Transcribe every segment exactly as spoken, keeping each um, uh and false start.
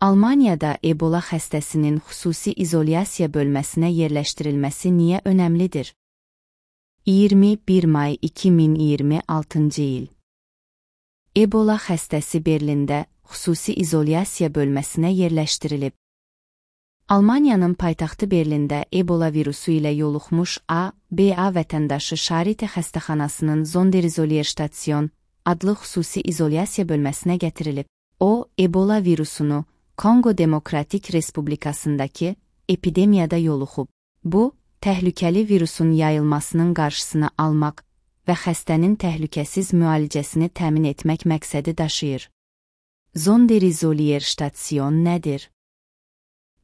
Almaniyada Ebola xəstəsinin xüsusi izolyasiya bölməsinə yerləşdirilməsi niyə önəmlidir? iyirmi bir may iki min iyirmi altıncı il. Ebola xəstəsi Berlində xüsusi izolyasiya bölməsinə yerləşdirilib. Almaniyanın paytaxtı Berlində Ebola virusu ilə yoluxmuş A B A vətəndaşı Charité xəstəxanasının Sonderizolierstasiyon adlı xüsusi izolyasiya bölməsinə gətirilib. O, Ebola virusunu Kongo Demokratik Respublikasındakı epidemiyada yoluxub. Bu, təhlükəli virusun yayılmasının qarşısını almaq və xəstənin təhlükəsiz müalicəsini təmin etmək məqsədi daşıyır. Sonderizolierstasiyon nədir?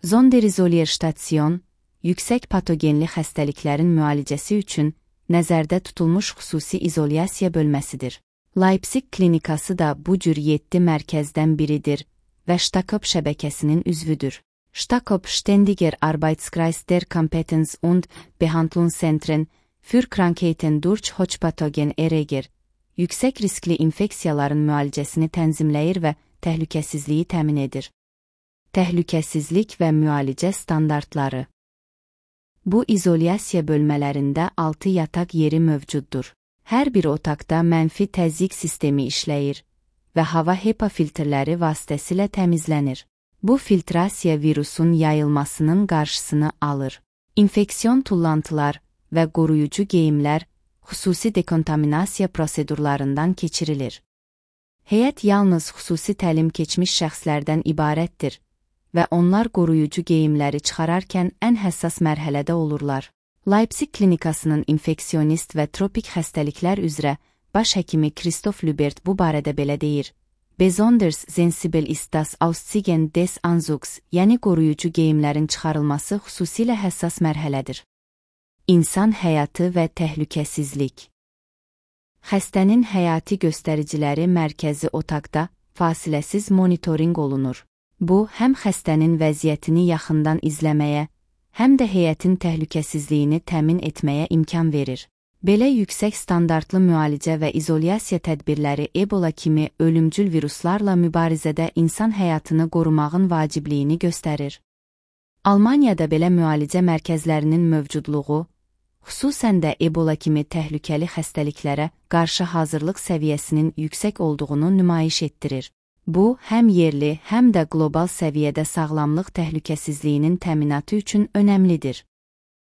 Sonderizolierstasiyon, yüksək patogenli xəstəliklərin müalicəsi üçün nəzərdə tutulmuş xüsusi izolyasiya bölməsidir. Leipzig klinikası da bu cür yeddi mərkəzdən biridir və Stakop şəbəkəsinin üzvüdür. Stakop Ständiger Arbeitskreis der Kompetenz- und Behandlungszentren für Krankheiten durch Hochpathogen Erreger, yüksək riskli infeksiyaların müalicəsini tənzimləyir və təhlükəsizliyi təmin edir. Təhlükəsizlik və müalicə standartları. Bu izolyasiya bölmələrində altı yataq yeri mövcuddur. Hər bir otaqda mənfi təzyiq sistemi işləyir və hava HEPA filtrləri vasitəsilə təmizlənir. Bu filtrasiya virusun yayılmasının qarşısını alır. İnfeksiyon tullantılar və qoruyucu geyimlər xüsusi dekontaminasiya prosedurlarından keçirilir. Heyət yalnız xüsusi təlim keçmiş şəxslərdən ibarətdir və onlar qoruyucu geyimləri çıxararkən ən həssas mərhələdə olurlar. Leipzig klinikasının infeksionist və tropik xəstəliklər üzrə baş həkimi Christoph Lübert bu barədə belə deyir. Besonders sensibel ist das Ausziehen des Anzugs, yəni qoruyucu geyimlərin çıxarılması xüsusilə həssas mərhələdir. İnsan həyatı və təhlükəsizlik. Xəstənin həyati göstəriciləri mərkəzi otaqda fasiləsiz monitorinq olunur. Bu, həm xəstənin vəziyyətini yaxından izləməyə, həm də heyətin təhlükəsizliyini təmin etməyə imkan verir. Belə yüksək standartlı müalicə və izolyasiya tədbirləri Ebola kimi ölümcül viruslarla mübarizədə insan həyatını qorumağın vacibliyini göstərir. Almaniyada belə müalicə mərkəzlərinin mövcudluğu, xüsusən də Ebola kimi təhlükəli xəstəliklərə qarşı hazırlıq səviyyəsinin yüksək olduğunu nümayiş etdirir. Bu, həm yerli, həm də qlobal səviyyədə sağlamlıq təhlükəsizliyinin təminatı üçün önəmlidir.